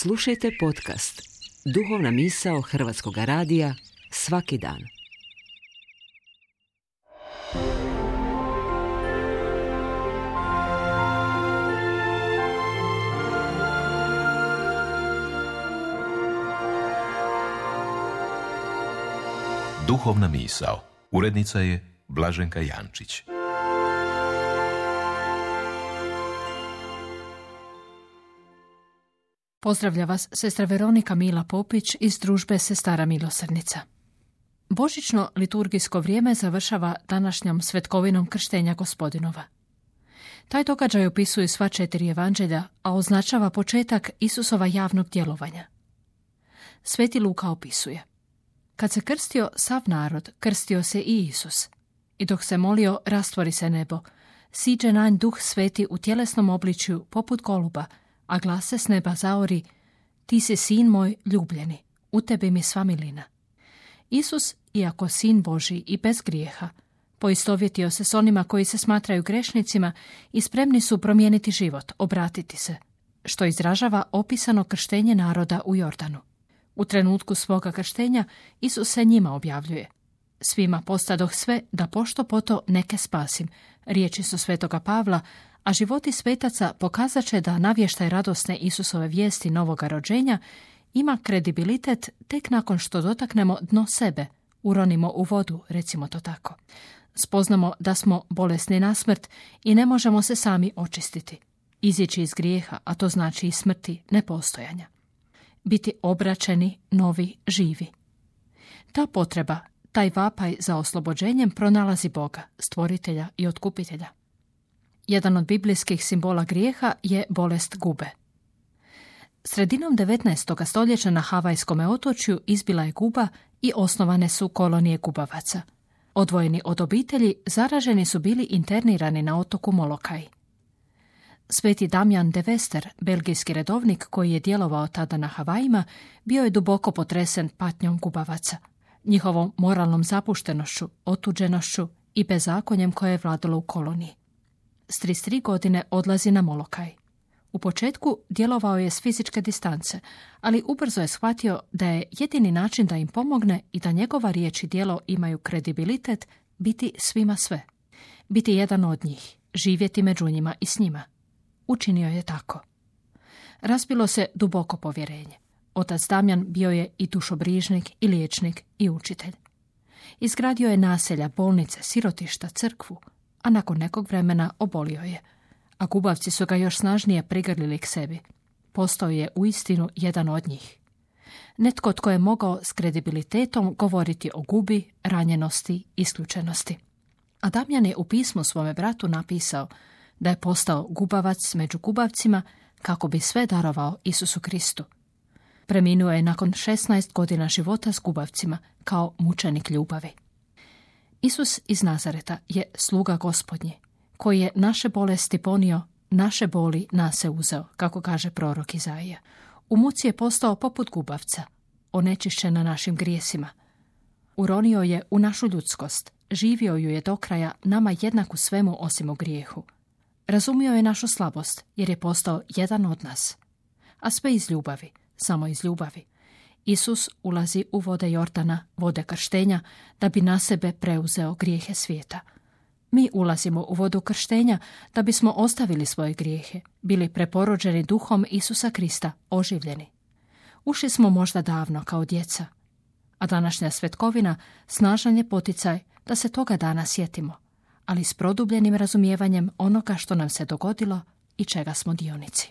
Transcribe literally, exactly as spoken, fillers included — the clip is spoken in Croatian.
Slušajte podcast Duhovna misao Hrvatskog radija svaki dan. Duhovna misao. Urednica je Blaženka Jančić. Pozdravlja vas sestra Veronika Mila Popić iz družbe Sestara milosrdnica. Božićno liturgijsko vrijeme završava današnjom svetkovinom krštenja Gospodinova. Taj događaj opisuje sva četiri evanđelja, a označava početak Isusova javnog djelovanja. Sveti Luka opisuje: kad se krstio sav narod, krstio se i Isus. I dok se molio, rastvori se nebo. Siđe na nj Duh Sveti u tjelesnom obličju poput goluba, a glas se s neba zaori: ti si sin moj ljubljeni, u tebi mi sva milina. Isus, iako sin Božji i bez grijeha, poistovjetio se s onima koji se smatraju grešnicima i spremni su promijeniti život, obratiti se, što izražava opisano krštenje naroda u Jordanu. U trenutku svoga krštenja Isus se njima objavljuje: svima postadoh sve da pošto poto neke spasim. Riječi su svetoga Pavla, a životi svetaca pokazat će da navještaj radosne Isusove vijesti novoga rođenja ima kredibilitet tek nakon što dotaknemo dno sebe, uronimo u vodu, recimo to tako. Spoznamo da smo bolesni na smrt i ne možemo se sami očistiti. Izići iz grijeha, a to znači i smrti, nepostojanja. Biti obraćeni, novi, živi. Ta potreba, taj vapaj za oslobođenjem pronalazi Boga, stvoritelja i otkupitelja. Jedan od biblijskih simbola grijeha je bolest gube. Sredinom devetnaestog stoljeća na Havajskom otočju izbila je guba i osnovane su kolonije gubavaca. Odvojeni od obitelji, zaraženi su bili internirani na otoku Molokaj. Sveti Damjan de Vester, belgijski redovnik koji je djelovao tada na Havajima, bio je duboko potresen patnjom gubavaca, njihovom moralnom zapuštenošću, otuđenošću i bezakonjem koje je vladalo u koloniji. S trideset tri godine odlazi na Molokaj. U početku djelovao je s fizičke distance, ali ubrzo je shvatio da je jedini način da im pomogne i da njegova riječ i djelo imaju kredibilitet biti svima sve. Biti jedan od njih, živjeti među njima i s njima. Učinio je tako. Razbilo se duboko povjerenje. Otac Damjan bio je i dušobrižnik, i liječnik, i učitelj. Izgradio je naselja, bolnice, sirotišta, crkvu, a nakon nekog vremena obolio je, a gubavci su ga još snažnije prigrlili k sebi. Postao je uistinu jedan od njih. Netko tko je mogao s kredibilitetom govoriti o gubi, ranjenosti, isključenosti. A Damjan je u pismu svome bratu napisao da je postao gubavac među gubavcima kako bi sve darovao Isusu Kristu. Preminuo je nakon šesnaest godina života s gubavcima kao mučenik ljubavi. Isus iz Nazareta je sluga Gospodnji, koji je naše bolesti ponio, naše boli nase uzeo, kako kaže prorok Izaija. U muci je postao poput gubavca, onečišćen na našim grijesima. Uronio je u našu ljudskost, živio ju je do kraja, nama jednak u svemu osim u grijehu. Razumio je našu slabost, jer je postao jedan od nas. A sve iz ljubavi, samo iz ljubavi. Isus ulazi u vode Jordana, vode krštenja, da bi na sebe preuzeo grijehe svijeta. Mi ulazimo u vodu krštenja da bismo ostavili svoje grijehe, bili preporođeni duhom Isusa Krista, oživljeni. Ušli smo možda davno kao djeca, a današnja svetkovina snažan je poticaj da se toga dana sjetimo, ali s produbljenim razumijevanjem onoga što nam se dogodilo i čega smo dionici.